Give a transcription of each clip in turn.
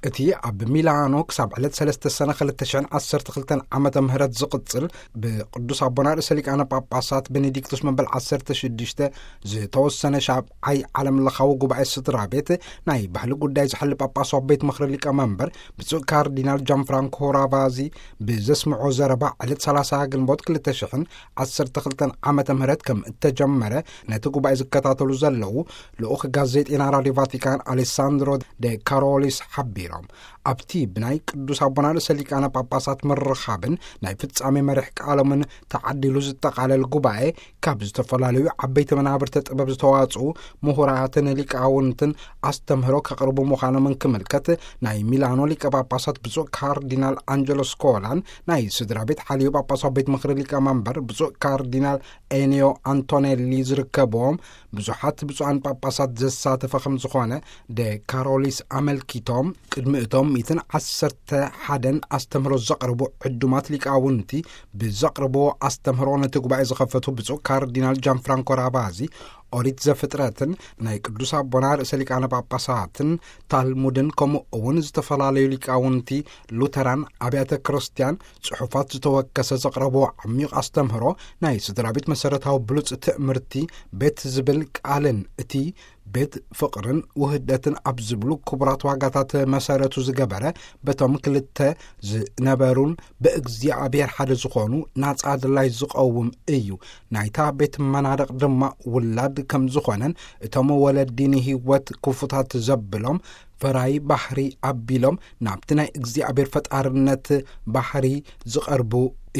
እቲ ኣብ ሚላኖ ክሳብ ዕለት ሰለስተ ሰነ ክልተ ሽሕን ዓሰርተ ክልተን ዓመተ ምህረት ዝቕጽል፣ ብቅዱስ ኣቦና ርእሰ ሊቃነ ጳጳሳት ቤኔዲክቱስ መበል ዓሰርተ ሽዱሽተ ዝተወሰነ ሻብዓይ ዓለም ለኻዊ ጉባኤ ስድራ ቤት፣ ናይ ባህሊ ጉዳይ ዝሕል ጳጳሳዊ ቤት ምኽሪ ሊቀ መንበር ብፁዕ ካርዲናል ጃን ፍራንኮ ራቫዚ ብዘስምዖ ዘረባ፣ ዕለት ሰላሳ ግንቦት ክልተ ሽሕን ዓሰርተ ክልተን ዓመተ ምህረት ከም እተጀመረ፣ ነቲ ጉባኤ ዝከታተሉ ዘለዉ ልኡኽ ጋዜጤና ራድዮ ቫቲካን ኣሌሳንድሮ ደ ካሮሊስ ሓቢሮም። ኣብቲ ብናይ ቅዱስ ኣቦና ርእሰ ሊቃነ ጳጳሳት ምርኻብን ናይ ፍጻሜ መሪሕ ቃሎምን ተዓዲሉ ዝጠቓለል ጉባኤ፣ ካብ ዝተፈላለዩ ዓበይቲ መናብርቲ ጥበብ ዝተዋጽኡ ምሁራትን ሊቃውንትን ኣስተምህሮ ከቕርቡ ምዃኖምን ክምልከት፣ ናይ ሚላኖ ሊቀ ጳጳሳት ብፁዕ ካርዲናል ኣንጀሎ ስኮላን ናይ ስድራ ቤት ሓልዮ ጳጳሳዊ ቤት ምኽሪ ሊቀ መንበር ብፁዕ ካርዲናል ኤኒዮ ኣንቶኔሊ ዝርከብዎም ብዙሓት ብፁዓን ጳጳሳት ዘሳተፈ ከም ዝኾነ ደ ካሮሊስ ኣመልኪቶም፣ ቅድሚ እቶም ሚእትን ዓሰርተ ሓደን ኣስተምህሮ ዘቕርቡ ዕዱማት ሊቃውንቲ ብዘቕርብዎ ኣስተምህሮ ነቲ ጉባኤ ዝኸፈቱ ብፁዕ ካርዲናል ጃን ፍራንኮ ራቫዚ፣ ኦሪት ዘፍጥረትን ናይ ቅዱስ ኣቦና ርእሰ ሊቃነ ጳጳሳትን ታልሙድን፣ ከምኡ እውን ዝተፈላለዩ ሊቃውንቲ ሉተራን ኣብያተ ክርስቲያን ጽሑፋት ዝተወከሰ ዘቕረብዎ ዓሚቕ ኣስተምህሮ፣ ናይ ስድራ ቤት መሰረታዊ ብሉጽ ትእምርቲ ቤት ዝብል ቃልን እቲ ቤት ፍቕርን ውህደትን ኣብ ዝብሉ ክቡራት ዋጋታት መሰረቱ ዝገበረ፣ በቶም ክልተ ዝነበሩን ብእግዚኣብሔር ሓደ ዝኾኑ ናጻ ድላይ ዝቐውም እዩ። ናይታ ቤት መናድቕ ድማ ውላድ ከም ዝኾነን፣ እቶም ወለዲ ንህይወት ክፉታት ዘብሎም ፈራይ ባህሪ ኣቢሎም ናብቲ ናይ እግዚኣብሔር ፈጣርነት ባህሪ ዝቐርቡ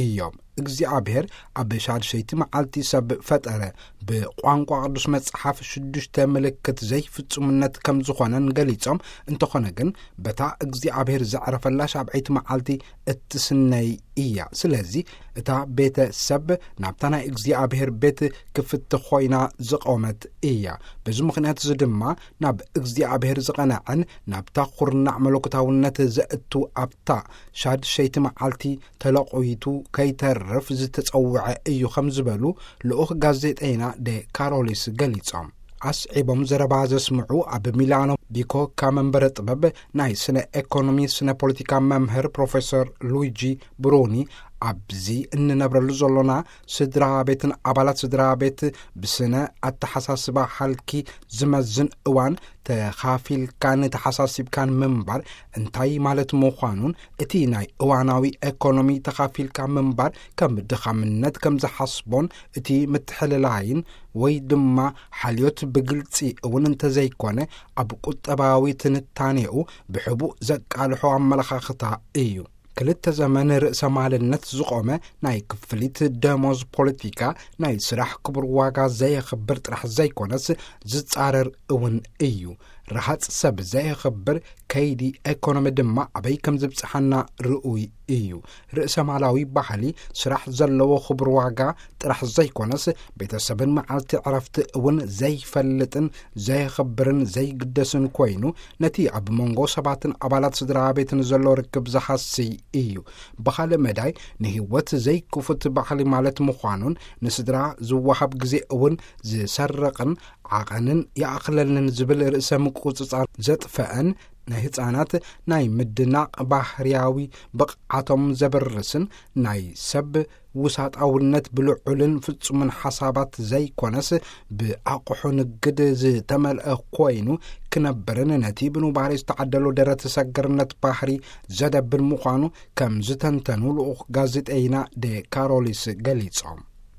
እዮም። እግዚኣብሔር ኣብ ሻድሸይቲ መዓልቲ ሰብ ፈጠረ። ብቋንቋ ቅዱስ መጽሓፍ ሽዱሽተ ምልክት ዘይፍጹምነት ከም ዝኾነን ገሊጾም፣ እንተኾነ ግን በታ እግዚኣብሔር ዘዕረፈላ ሻብዐይቲ መዓልቲ እትስነይ እያ። ስለዚ እታ ቤተ ሰብ ናብታ ናይ እግዚኣብሔር ቤት ክፍቲ ኮይና ዝቖመት እያ። በዚ ምኽንያት እዚ ድማ ናብ እግዚኣብሔር ዝቐንዐን ናብታ ኩርናዕ መለኮታውነት ዘእቱ ኣብታ ሻድሸይቲ መዓልቲ ተለቑይቱ ከይተርፍ ዝተጸውዐ እዩ ከም ዝበሉ ልኡኽ ጋዜጠይና ደ ካሮሊስ ገሊጾም። ኣስዒቦም ዘረባ ዘስምዑ ኣብ ሚላኖ ቢኮካ መንበረ ጥበብ ናይ ስነ ኤኮኖሚ ስነ ፖለቲካ መምህር ፕሮፌሰር ሉዊጂ ብሩኒ፣ ኣብዚ እንነብረሉ ዘሎና ስድራ ቤትን ኣባላት ስድራ ቤት ብስነ ኣተሓሳስባ ሃልኪ ዝመዝን እዋን፣ ተኻፊልካን ተሓሳሲብካን ምንባር እንታይ ማለት ምዃኑን፣ እቲ ናይ እዋናዊ ኤኮኖሚ ተኻፊልካ ምንባር ከም ድኻምነት ከም ዝሓስቦን፣ እቲ ምትሕልላይን ወይ ድማ ሓልዮት ብግልጺ እውን እንተዘይኮነ፣ ኣብ ቁጠባዊ ትንታኔኡ ብሕቡእ ዘቃልሖ ኣመለኻኽታ እዩ። ክልተ ዘመን ርእሰ ማልነት ዝቖመ ናይ ክፍሊት ደሞዝ ፖለቲካ፣ ናይ ስራሕ ክቡር ዋጋ ዘየኽብር ጥራሕ ዘይኮነስ፣ ዝጻረር እውን እዩ። ረሃጽ ሰብ ዘየኽብር ከይዲ ኤኮኖሚ ድማ ኣበይ ከም ዝብጽሓና ርኡይ እዩ። ርእሰ ማላዊ ባህሊ፣ ስራሕ ዘለዎ ክቡር ዋጋ ጥራሕ ዘይኮነስ፣ ቤተሰብን መዓልቲ ዕረፍቲ እውን ዘይፈልጥን ዘየኽብርን ዘይግደስን ኮይኑ፣ ነቲ ኣብ መንጎ ሰባትን ኣባላት ስድራ ቤትን ዘሎ ርክብ ዝሃስይ እዩ። ብኻልእ መዳይ፣ ንህይወት ዘይክፉት ባህሊ ማለት ምዃኑን፣ ንስድራ ዝወሃብ ግዜ እውን ዝሰርቕን፣ ዓቐንን ይኣኽለንን ዝብል ርእሰ ምቁጽጻር ዘጥፈአን፣ ናይ ህጻናት ናይ ምድናቕ ባህርያዊ ብቕዓቶም ዘበርስን፣ ናይ ሰብ ውሳጣውነት ብልዑልን ፍጹምን ሓሳባት ዘይኮነስ፣ ብኣቕሑ ንግድ ዝተመልአ ኮይኑ ክነብርን፣ ነቲ ብኑባሬ ዝተዓደሎ ደረት ሰገርነት ባህሪ ዘደብን ምዃኑ ከም ዝተንተኑ ልኡኽ ጋዜጠይና ደ ካሮሊስ ገሊጾም።